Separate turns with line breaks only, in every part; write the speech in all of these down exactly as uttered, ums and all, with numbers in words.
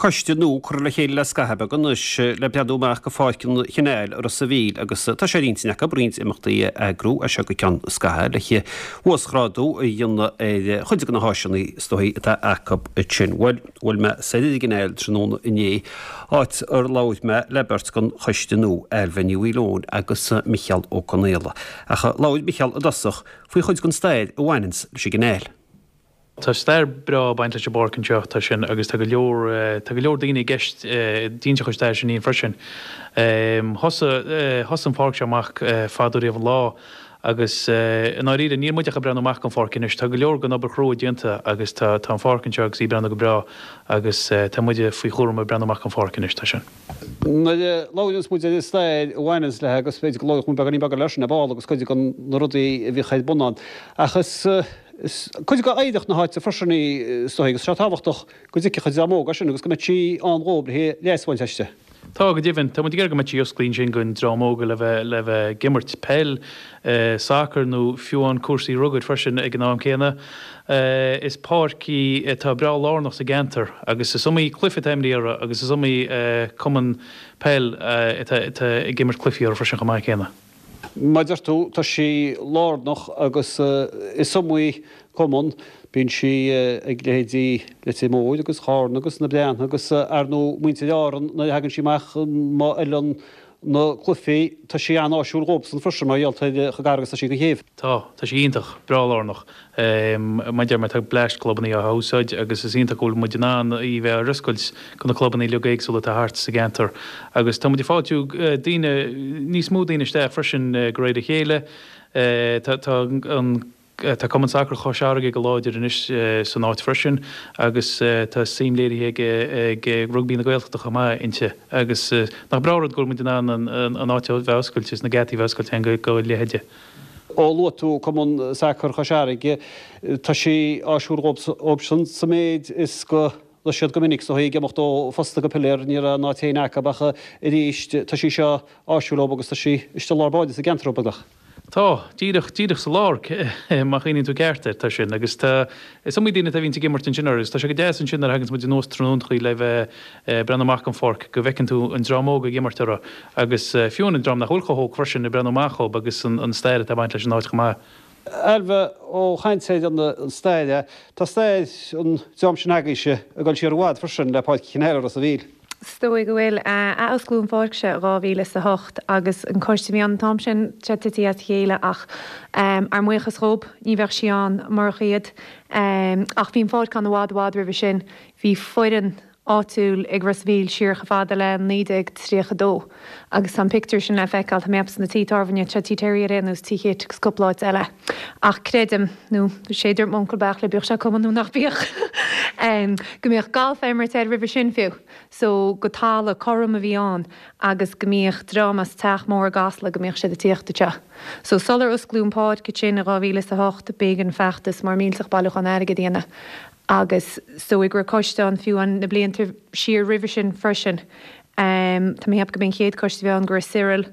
coiste nua curtha le chéile le scaitheamh beag anois le breathnú amach go Pháirc an Chanáil i Ros a' Mhíl agus tá sé ar intinn acu roinnt imeachtaí a eagrú as seo go ceann scaithimh le huasghrádú a dhéanamh ar chuid de na háiseanna is dóichí atá acu ansin. Bhuel, bhuail mé soir ar an gCanáil tráthnóna inné, áit ar labhair mé le beirt den choiste nua, Ailbhe Ní Mhaoileoin agus Micheál Ó Conaola. Ach labhair Micheál i dtosach faoi chuid den stair a bhaineanns leis an gCanáil.
Tá stair breá baint leis an bpáirc anseo tá sin agus tá go leor tá go leor daoine i gceist d'inse chuid stair sin freisin. Thosaigh thosaigh an pháirc seo amach fadó riamh an lá agus i ndáiríre níl muid ach ag breathnú amach an pháirc anois, tá go leor den obair chrua déanta agus tá tá an pháirc anseo agus í breathnú go breá agus tá muide faoi chúram ag breathnú amach an pháirc anois tá sin.
Nuair a labhraíonns muid ar an stair a bhaineanns léi agus b'fhéidir go labhródh muid beagáinín beag leis sin ar ball agus cuid de na rudaí a bhíodh ar bun ann. Ach is is cuid de oidhreacht na háite freisin í is dóigh agus sé tábhachtach go dtuigfeadh an dream óg é sin agus go mbeadh sí ann dhóibh le leas a bhaint aisti.
Tá go deimhin, tá muid ag iarraidh go mbeadh sí oscailte ansin don dream óg le bheith le bheith ag imirt peil, sacar nó fiú amháin cúrsaí rugair freisin ag an am céanna. Is páirc í atá breá lárnach sa gceantar agus is iomaí cluiche atá imeartha uirthi agus is iomaí cumann peil atá ag imirt cluichí uirthi freisin chomh maith céanna.
Mar a deir tú, tá sí lárnach agus is iomaí cumann, bíonn sí ag leithéidí Leitir Móir agus Charna agus na Breathna agus ar ndóigh muintir Árann nuair a thagann sí amach má fheileann na cluichí, tá sí an-áisiúil dhóibhsan freisin mar gheall ar chomh gar agus tá sí don chéibh.
Tá, tá sí iontach, breá lárnach. Mar a deir mé, tá bleaist clubanna á húsáid agus is iontach go bhfuil muid in ann í bheith ar oscailt do na clubanna uilig éagsúla atá thart sa gceantar. Agus tá muid ag fáiltiú daoine, níos mó daoine isteach freisin de réir a chéile. Tá tá an Tá Cumann Sacair Chois Fharraige go láidir anois san áit freisin agus tá suim léirithe ag ag Rugbaí na Gaeltachta chomh maith inti agus nach breá rud go bhfuil muid in ann an áit a bheith oscailte is na geataí a bheith oscailte go go leithéide.
Ó luaigh tú Cumann Sacair Chois Fharraige, tá sí áisiúil dhóibhsean sa méid is go raibh siad go minic is dóigh ag imeacht ó phosta go piléar, ní raibh an áit féin acu ach arís tá sí seo áisiúil dhóibh agus tá sí istigh i lár báire sa gceantar beagnach.
Tá, díreach, díreach sa lár, má chuimhníonn tú ceart air, tá sin agus tá, is iomaí duine atá bhíonns ag imirt ansin agus tá sé go deas ansin nuair a thaganns muid anuas tráthnóntachaí le bheith breathnú amach an pháirc go bhfeiceann tú an dream óg ag imirt orthu agus fiú an dream nach bhfuil chomh hóg freisin ag breathnú amach dhóibh agus an, an stair atá ag baint leis an áit chomh maith.
Ailbhe, ó chaint ar an stair, tá stair an dream sin agaibhse ag dul siar i bhfad freisin le Páirc an Chanáil i Ros a' Mhíl.
Is dóigh go bhfuil. Athosclaíodh an pháirc seo i dhá mhíle is a hocht agus an coiste a bhí ann an t-am sin, tá sé tite as a chéile ach ár mbuíochas dhóibh, ní bheadh sí ann murach iad. Ach bhí an pháirc ann i bhfad i bhfad roimhe sin. Bhí foireann áitiúil ag Ros a' Mhíl siar chomh fada le naoi déag tríocha dó agus tá an pictiúr sin le feiceáil, tá mé ag ceapadh sna tithe tábhairne, tá Tigh Terry ar aon nós, Tigh Chit agus cúpla áit eile. Ach creidim, nó sé a dúirt m'uncail Beartla, bíodh sé cuma nó nach bíodh, go mbíodh galf á imirt air roimhe sin fiú. So go talamh cothrom a bhí ann agus go mbíodh dream as Teach Mór i gCasla go mbíodh siad ag tíocht anseo. So sular osclaíodh an pháirc ansin i dhá mhíle is a hocht b'éigean feachtas mór millteach bailiúchán airgid a dhéanamh agus is dóigh go raibh coiste ann fiú an na blianta siar roimhe sin freisin. Tá mé ag ceapadh go b'é an chéad choiste a bhí ann go raibh Cyril,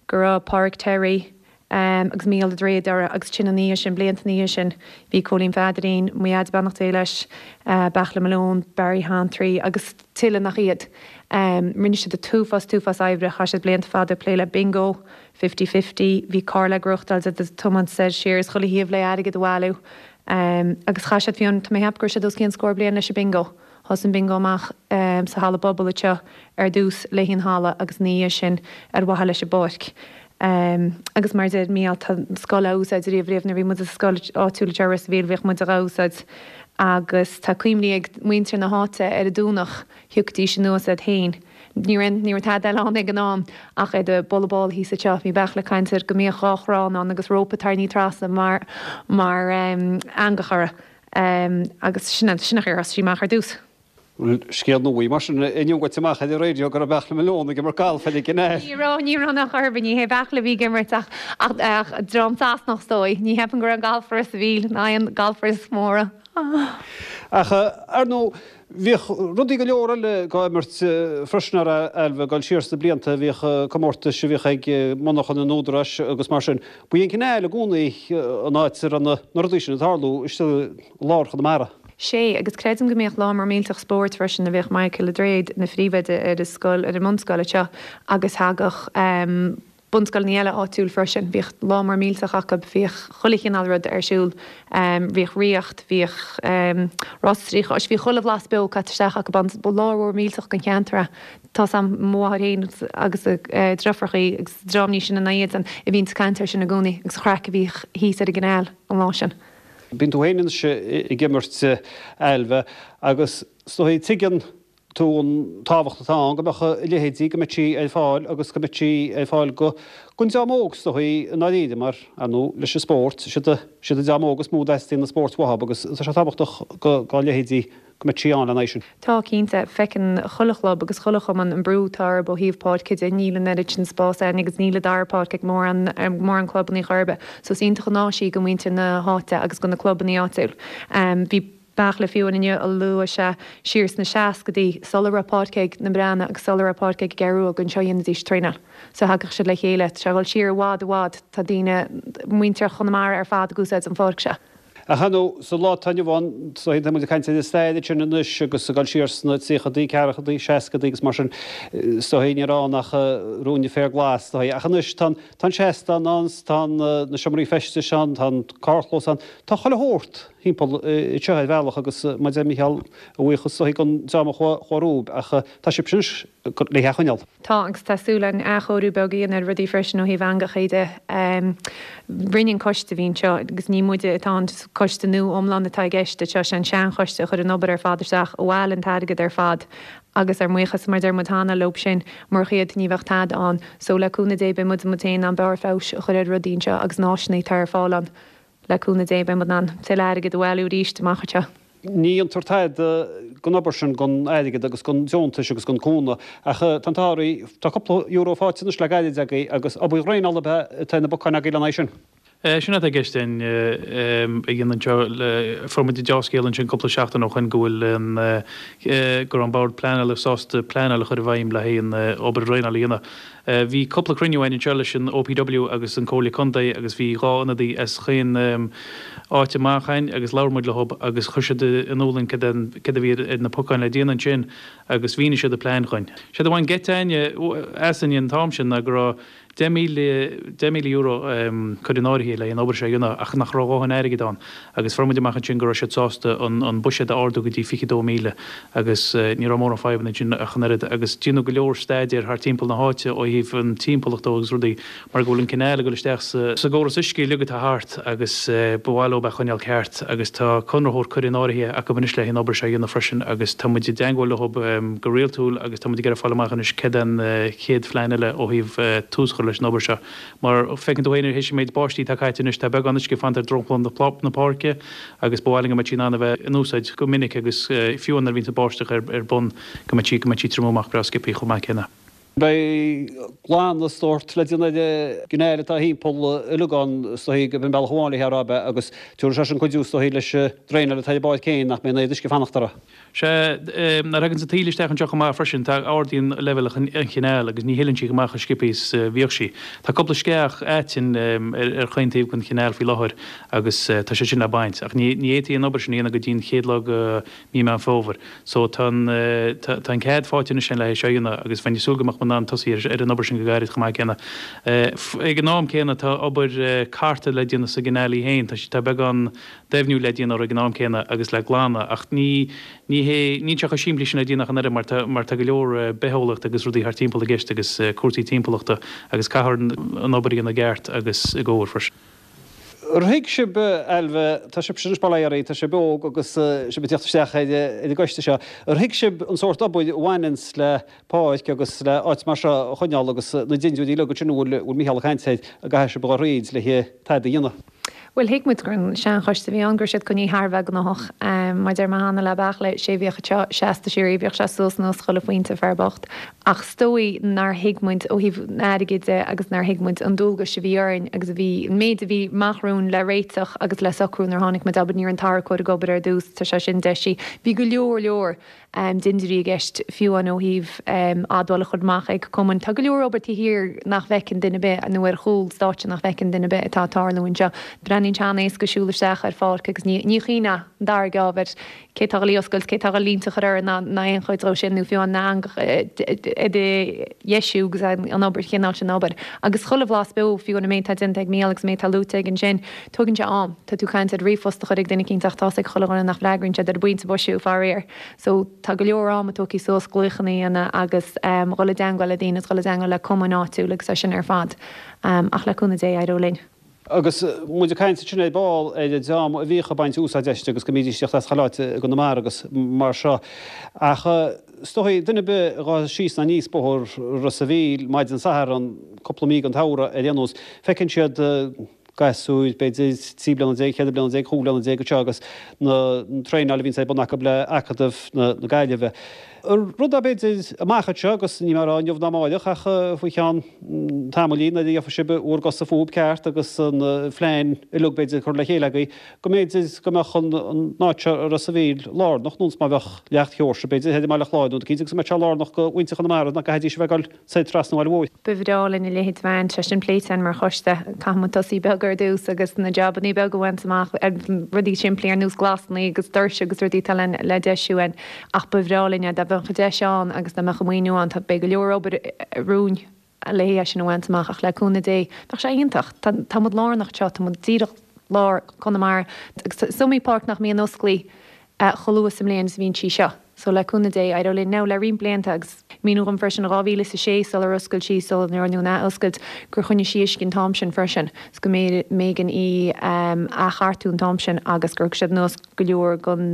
go raibh Pádraig Terry, agus Mícheál Ó Dréid orthu agus ansin ina dhiaidh sin, blianta ina dhiaidh sin, bhí Cóilín Pheadairín, mo dhaid beannacht Dé leis, Beartla Malone, Barry Hantry agus tuilleadh nach iad. Rinne siad an t-uafás, t-uafás oibre, chaith siad blianta fada ag plé le bingo, fifty fifty, bhí carr le gnóthachtáil ag tiomáint soir siar is chuile thaobh le airgead a bhailiú agus chaith siad fiú, tá mé ag ceapadh go raibh siad os cionn scór bliain leis an bingo. Thosaigh an bingo amach sa halla pobail anseo ar dtús le haghaidh an halla agus ina dhiaidh sin ar mhaithe leis an bpáirc. Agus mar a deir Mícheál, tá an scoil á úsáid riamh riamh. Nuair a bhí muid sa scoil áitiúil anseo i Ros a' Mhíl bhíodh muid á úsáid agus tá cuimhní ag muintir na háite ar an Domhnach, thiocfaidís anuas iad féin. Ní raibh, ní raibh tada eile ann ag an am ach iad ag bualadh ball thíos anseo. Bhí Beartla ag caint air go mbíodh dhá chrann ann agus rópa tarraingthe trasna mar, mar eangach orthu. Agus sin, sin an chaoi ar thosaigh sí amach ar dtús.
Bhuel, scéal nua í mar sin inniu goite amach ar an raidió go raibh Beartla Malone ag imirt galf ar an gCanáil.
Ní raibh, ní raibh nach orthu, ní hé Beartla a bhí ag imirt ach, ach, ach dream Sasanach is dóigh. Ní cheapaim go raibh galfar i Ros a' Mhíl, ná aon golfers móra.
Ach, ar ndóigh, bhíodh rudaí go leor eile á imirt freisin ar Ailbhe, ag dul siar sna blianta, bhíodh comórtais a bhíodh ag monarchan an Údaráis agus mar sin. Ba í an Canáil i gcónaí an áit a raibh na rudaí sin ag tarlú istigh i lár Chonamara.
Sé, agus creidim go mbíodh lá mór millteach spóirt freisin a bhíodh Michael Dréad ina phríomhoide ar an scoil ar an mbunscoil anseo agus thagadh bunscoileanna eile áitiúil freisin. Bhíodh lá mór millteach acu, bhíodh chuile chineál rud ar siúl, bhíodh ríocht, bhíodh rás trí chois, bhí chuile bhlas beo caite isteach acu ann. Ba lá mór millteach don cheantar é. Tá's a'm mo mháthair féin agus a deirfiúrachaí agus dream níos sine ná iadsan a bhíonns ag caint air sin i gcónaí agus an chraic a bhíodh thíos ar an gcineál an lá sin.
Bíonn tú féin anois ag imirt Ailbhe agus is dóigh tuigeann tú an tábhacht atá ann go mbeadh a leithéidí, go mbeadh sí ar fáil agus go mbeadh sí ar fáil go don dream óg is dóigh i ndáiríre mar, ar ndóigh, leis an spórt, siad siad an dream óg is mó a dteastaíonn an spórt uathu agus tá sé tábhachtach go dá leithéidí go mbeadh sí ann lena aghaidh sin.
Tá, cinnte. Feiceann chuile chlub agus chuile chumann an brú atá orthu ó thaobh páirce de. Níl an oiread sin spás ann agus níl an dara páirc ag mórán mórán clubannaí chor ar bith. So is iontach an áis í go muintir na háite agus go na clubannaí áitiúil. Bhí Beairtle fiú amháin inniu a luaigh sé siar sna seascadaí sula raibh páirc ag na Breathnaigh agus sula raibh páirc ag an gCeathrú Rua gur anseo a dhéanaidís traenáil. So thagadh siad le chéile. Tá sé ag dul siar i bhfad i bhfad. Tá daoine, muintir Chonamara ar fad ag úsáid an pháirc seo.
Ach ar ndóigh, sa lá atá inniu ann, is dóigh, tá muid ag caint ar an stair ansin anois agus ag dul siar sna tríochadaí, ceathrachaidí, seascadaí agus mar sin, is dóigh, ní raibh ann ach ruainne féar glas, is dóigh. Ach anois tá an, tá an seastán ann, tá na seomraí feistis ann, tá an carrchlós ann, tá chuile shórt thimpeall anseo ar bhealach agus mar a deir Mícheál, a bhuíochas is dóigh don dream a chuaigh romhaibh ach tá sibhse anois le hé a choinneáil.
Tá, agus tá súil againn athchóiriú beag a dhéanamh ar rudaí freisin ó thaobh eangacha de. Rinne an coiste a bhí anseo, agus ní muide atá an coiste nua iomlán atá i gceist anseo, sé an seanchoiste a chuir an obair ar fad isteach, a bhailigh an t-airgead ar fad agus ár mbuíochas, mar a deir muid cheana, leob sin, murach iad ní bheadh tada ann. So le cúnamh Dé beidh muid muid féin in ann barr feabhais a chur ar rudaí anseo agus na háiseanna atá ar fáil ann. Le cúnamh Dé beidh muid in ann tuilleadh airgid a bhailiú arís amach anseo.
Ní dhéantar tada den obair sin gan airgead agus gan deontais agus gan cúnamh, ach tá an t-ádh oraibh, tá cúpla euro faighte anois le gairid agaibh agus obair dhraenála ab ea atá ar na bacáin agaibh lena aghaidh sin?
Sin atá i gceist againn a dhéanamh anseo. Fuair muid an deá-scéal ansin cúpla seachtain ó shoin go bhfuil an, go raibh an Bord Pleanála sásta pleanáil a chur i bhfeidhm le haghaidh an obair dhraenála a dhéanamh. Bhí cúpla cruinniú againn anseo leis an OPW agus an Comhairle Contae agus bhí dhá ionadaí as chaon áit amach againn agus labhair muid leo agus chuir siad in iúl dúinn céard a bhí ar na pocáin le déanamh ansin agus mhínigh siad a plean dhúinn. Séard a bhain geit asainn an t-am sin ná go raibh deich míle, deich míle euro curtha in áirithe le an obair seo a dhéanamh ach nach raibh a dhóthain airgid ann agus fuair muid amach ansin go raibh siad sásta an buiséad a ardú go dtí fiche dó míle agus ní raibh mórán fadhbanna ansin ach an oiread agus déanadh go leor staidéir thart timpeall na háite ó thaobh an timpeallacht de agus rudaí mar go bhfuil an cineál ag dul isteach sa gcóras uisce uilig atá thart agus ba mhaith leo é a choinneáil ceart agus tá conraitheoir curtha in áirithe acu anois le an obair seo a dhéanamh freisin agus tá muid i dteangmháil leo go rialtúil agus tá muid ag iarraidh fáil amach anois céard é an chéad phlean eile ó thaobh tús a chur leis an obair seo. Mar feiceann tú féin théis an méid báistí atá caite anois tá beagán uisce fanta ar dromchla na páirce agus ba mhaith linn go mbeadh sí in ann a bheith in úsáid go minic agus fiú nuair a bhíonn an báisteach ar bun go mbeadh sí go mbeadh sí triomú amach breá sciobthaí chomh maith céanna.
Beidh glanadh sórt le déanamh ar an gcineál atá thimpeall uilig ann is dóigh gurb in bealach amháin le rá ab ea agus tabharfaidh sé sin cuidiú is dóigh leis an draenáil atá ar an bpáirc féin nach mbeidh an oiread uisce ag fanacht uirthi.
Sea, nuair a thagann an taoille isteach anseo chomh maith freisin, tá ardaíonn leibhéal an chineáil agus ní shileann sí chomh maith chomh sciobtha is a bhíodh sí. Tá cúpla sceach aitinn ar chaon taobh den chineál faoi láthair agus tá sé sin le baint. Ach ní fhéadfaí an obair sin a dhéanamh go dtí an chéad lá de mhí Meán Fómhair. So tá an tá an cead faighte anois le é seo a dhéanamh agus bheinn ag súil go mbeadh muid in ann tosaí ar an obair sin go gairid chomh maith céanna. Ag an am céanna tá obair carta le déanamh sa gcineál í féin. Tá tá beagán doimhniú le déanamh ag an am céanna agus le glanadh ach ní ní hé níl sé chomh simplí sin le déanamh ach an oiread mar tá mar tá go leor bitheolaíocht agus rudaí thart timpeall i gceist agus cúrsaí timpeallachta agus caithfear an obair a dhéanamh i gceart agus i gcóir freisin.
Ar thuig sibh, Ailbhe, tá sibhse anois bail ó Dhia oraibh, tá sibh óg agus sibh ag teacht isteach ar an gcoiste seo, ar thuig sibh an sórt obair a bhaineanns le páirc agus le áit mar seo a choinneáil agus na dindiúirí uilig ansin a bhfuil Mícheál ag caint air a gcaithfidh sibh a dhul thríd le tada a dhéanamh?
Bhuel, thuig muid gur an seanchoiste a bhí ann, go raibh siad coinnithe thar a bheith gnóthach. Mar a deir mé cheana le Beairtle, sé a bhíodh anseo seasta síoraí, bhíodh sé suas anuas chuile phointe, fear bocht. Ach is dóigh nár thuig muid ó thaobh an airgid de agus nár thuig muid an dualgais a bhí orainn agus a bhí, an méid a bhí amach romhainn le réiteach agus le socrú nuair a tháinig muid, abair, ní raibh an tarracóir ag obair ar dtús, tá sé sin deisithe. Bhí go leor leor. dindiúirí i gceist, fiú amháin ó thaobh admháil a chur amach ag cumainn. Tá go leor obair taobh thiar nach bhfeiceann duine ar bith, nó ar chúl stáitse nach bhfeiceann duine ar bith atá ag tarlú anseo. Breathnaíonn Breathnaíonn sé an-éasca siúl isteach ar pháirc agus ní ní chuimhneofá an dara geábh ar cé tá le oscailt, cé tá le línte a chur air ná ná aon chuid dhó sin nó fiú an eangach a dheisiú agus an obair chineál sin obair. Agus chuile bhlas beo fiú an méid atá déanta ag Mícheál agus méid atá luaite aige ansin, tógann sé am. Tá tú caint ar ríomhphost a chur ag duine eicínt ach tá's ag chuile dhuine nach bhfreagraíonn siad ar an bpointe boise faraor. So tá go leor ama tógtha suas glaochanna a dhéanamh agus dhul i dteangmháil le daoine, dhul i dteangmháil le cumainn áitiúil agus é sin ar fad. Ach le cúnamh Dé éireoidh linn.
Agus muid ag caint ansin ar ball ar an dream a bhíodh ag baint úsáid aisti agus go mbídís ag teacht as chuile áit i gConamara agus mar seo. Ach is dóigh, duine ar bith a ghabhfas síos ná aníos bóthar Ros a' Mhíl maidin Sathairn, cúpla mí den tsamhradh ar aon nós, feiceann siad gasúir, b'fhéidir trí bliana déag, cheithre bliana déag, chúig bliana déag anseo agus na traenáil a bhíonns ar bun acu le Acadamh na Gaillimhe. Rud é b'fhéidir amach anseo agus níl mé ag rá inniu ná amáireach ach faoi cheann tamaillín nuair a gheobhaidh sibh bhur gcosa fúib ceart agus an phlean uilig b'fhéidir curtha le chéile agaibh go mb'fhéidir go mbeadh an áit seo i Ros a' Mhíl lárnach nó má bheadh Leacht Sheoirse b'fhéidir thoir i mBaile Chláir nó cinnte agus go mbeadh sé lárnach go mhuintir Chonamara nach gcaithfidís a bheith ag dul soir trasna an bhaile mhóir.
Ba bhreá linn a leithéid a bheith ann, tá sin pléite againn mar choiste. Caithfidh muid tosaí beag ar dtús agus na jabannaí beaga a bhaint amach, rudaí simplí ar nós glasannaí agus doirse agus rudaí atá le deisiú againn. Ach ba bhreá linn é dá mbeadh an deis ann agus dá mbeadh an maoiniú ann. Tá, beidh go leor obair romhainn le é sin a bhaint amach ach le cúnamh Dé, bheadh sé iontach. Tá, tá muid lárnach anseo, tá muid díreach lár Chonamara agus is iomaí páirc nach mbíonn osclaí chomh luath sa mbliain is a bhíonn sí seo. So le cúnamh Dé, éireoidh linn now le roinnt blianta agus míniú dhom freisin dhá mhíle is a sé sular oscail sí, sular rinneadh an athoscailt, gur choinnigh sí uisce an t-am sin freisin is go mb'éigean í a athchartú an t-am sin agus gur thug siad anuas go leor den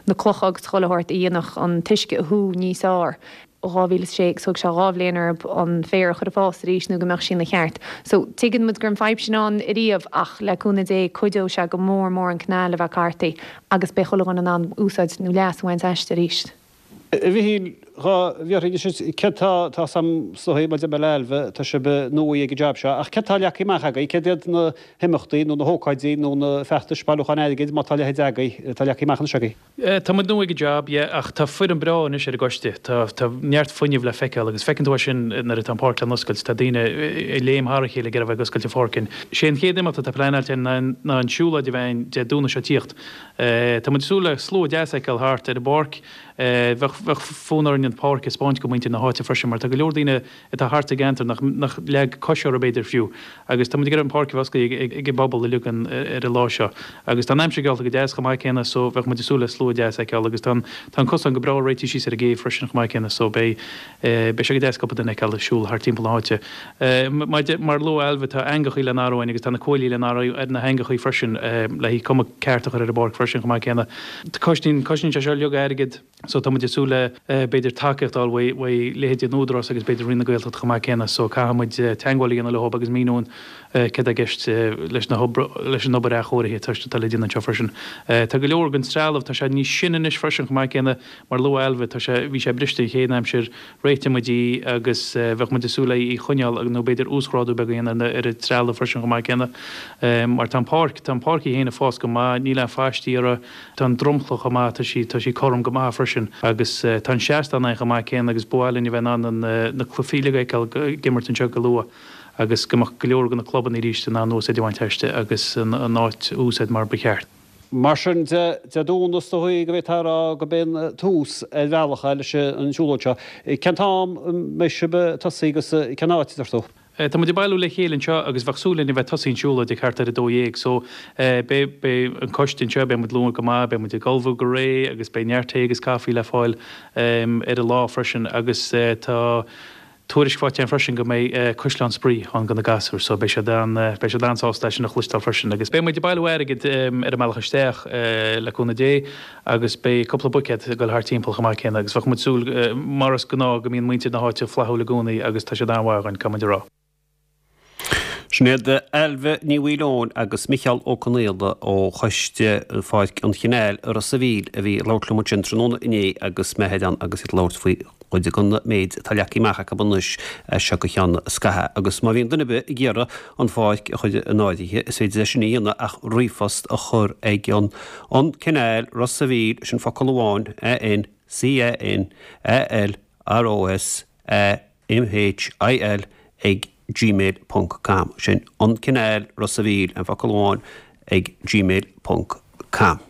na clocha agus chuile shórt a dhéanfadh an t-uisce a shú níos fearr. dhá mhíle is a sé agus thóg sé dhá bhliain orthu an féar a chur ag fás arís nó go mbeadh sí ina cheart. So tuigeann muid go raibh an fadhb sin ann ariamh ach le cúnamh Dé cuideoidh sé go mór mór an canal a bheith cartaithe agus beidh chuile dhuine in ann úsáid nó leas a bhaint aisti arís.
A Mhichíl, dhá bhfiafraí anois céard tá, tá sam sothaí maidir le Ailbhe, tá sibh nua ag an jab seo, ach céard tá leagtha amach agaibh, céard iad na himeachtaí nó na hócáidí nó na feachtais bailiúcháin airgid, má tá a leithéid agaibh, atá leagtha amach anois agaibh?
Tá muid nua ag an jab, yeah, ach tá foireann breá anois ar an gcoiste. Tá, tá neart fuinnimh le feiceáil agus feiceann tú é sin nuair atá an pháirc le n-oscailt, tá daoine ag léim thar a chéile ag iarraidh a bheith ag oscailt an pháirc. Sé an chéad imeacht atá pleanáilte ná, ná an siúlóid a bheidh ann Dé Domhnaigh seo ag tíocht. Tá muid ag súil le slua deas a fheiceáil thart ar an bpáirc. Bheadh, bheadh fonn orainn an pháirc a 'speáint go muintir na háite freisin mar tá go leor daoine atá thart sa gceantar nach, nach leag cos orthu b'fhéidir fiú agus tá muid ag iarraidh an pháirc a bheith oscailte ag, ag an bpobal uilig an, ar an lá seo. Agus tá an aimsir geallta go deas chomh maith céanna so bheadh muid ag súil le slua deas a fheiceáil agus tá an, tá an cosán go breá réitithe síos ar an gcéibh freisin chomh maith céanna so beidh, beidh sé go deas cúpla duine a fheiceáil ag siúl thart timpeall na háite. Mar, mar a luaigh Ailbhe tá eangachaí le n-athrú againn agus tá na cuaillí le n-athrú ar na heangachaí freisin le haghaidh cuma ceart a chur ar an bpáirc freisin chomh maith céanna. Cosnaíonn, cosnaíonn sé seo uilig airgead so tá muid ag súil le b'fhéidir tacaíocht a fháil uaidh, uaidh leithéidí an Údarás agus b'fhéidir Roinn na Gaeltachta chomh maith céanna so caithfidh muid teagmháil a dhéanamh leo agus míniú céard atá i gceist leis na hobair, leis an obair athchóirithe atá, atá le déanamh anseo freisin. Tá go leor den trealamh, tá sé níos sine anois freisin chomh maith céanna mar a luaigh Ailbhe, tá sé, bhí sé briste an chéad aimsir, réitigh muid í agus bheadh muid ag súil le í a choinneáil nó b'fhéidir uasghrádú beag a dhéanamh ar an trealamh freisin chomh maith céanna. Mar tá an pháirc, tá an pháirc í féin ag fás go maith, níl aon phaistí uirthi, tá an dromchla chomh maith, tá sí, tá sí cothrom go maith freisin agus tá an seastán ann chomh maith céanna agus ba mhaith linn a bheith in ann an, na cluichí uilig a fheiceáil ag imirt anseo go luath agus go mbeadh go leor de na clubanna arís in ann úsáid a bhaint aisti agus an áit a úsáid mar ba cheart.
Mar sin de, Dé Domhnaigh is dóigh go bhféadfá a rá gurb é an tús ar bhealach é leis an siúlóid seo. Cén t-am a mbeidh sibh ag tosaí agus cén áit, a deir tú?
Tá muid ag bailiú le chéile anseo agus bheadh súil linn a bheith tosaí an siúlóid ag thart ar a dó dhéag so beidh, beidh an coiste anseo, beidh muid luath go maith, beidh muid ag ullmhú go réidh agus beidh neart tae agus caife le fáil ar an lá freisin agus tá tuairisc faighte againn freisin go mbeidh caisleán spraoi ann do na gasúir so beidh siad an, beidh siad an-sásta é sin a chloisteáil freisin agus beidh muid ag bailiú airgid ar an mbealach isteach le cúnamh Dé agus beidh cúpla buicéad ag dul thart timpeall chomh maith céanna agus bheadh muid súil mar is gnáth go mbíonn muintir na háite flaithiúil i gcónaí agus tá siad an-mhaith againn, caithfidh muid a rá.
Sin iad Ailbhe Ní Mhaoileoin agus Micheál Ó Conaola ó Choiste Pháirc an Chanáil i Ros a' Mhíl a bhí ag labhairt liom ansin tráthnóna inné agus mé thoir ann agus iad ag labhairt faoi chuid den méid atá leagtha amach acu anois as seo go ceann scaithimh. Agus má bhíonn duine ar bith ag iarraidh an pháirc a chur in áirithe, is féidir é sin a dhéanamh ach ríomhphost a chur ag an An Canal Ros a' Mhíl, sin focal amháin, A N C A N A L R O S A M H I L ag gmail ponc com. Sin An Cineál, Ros a' Mhíl, aon fhocal amháin, ag gmail ponc com.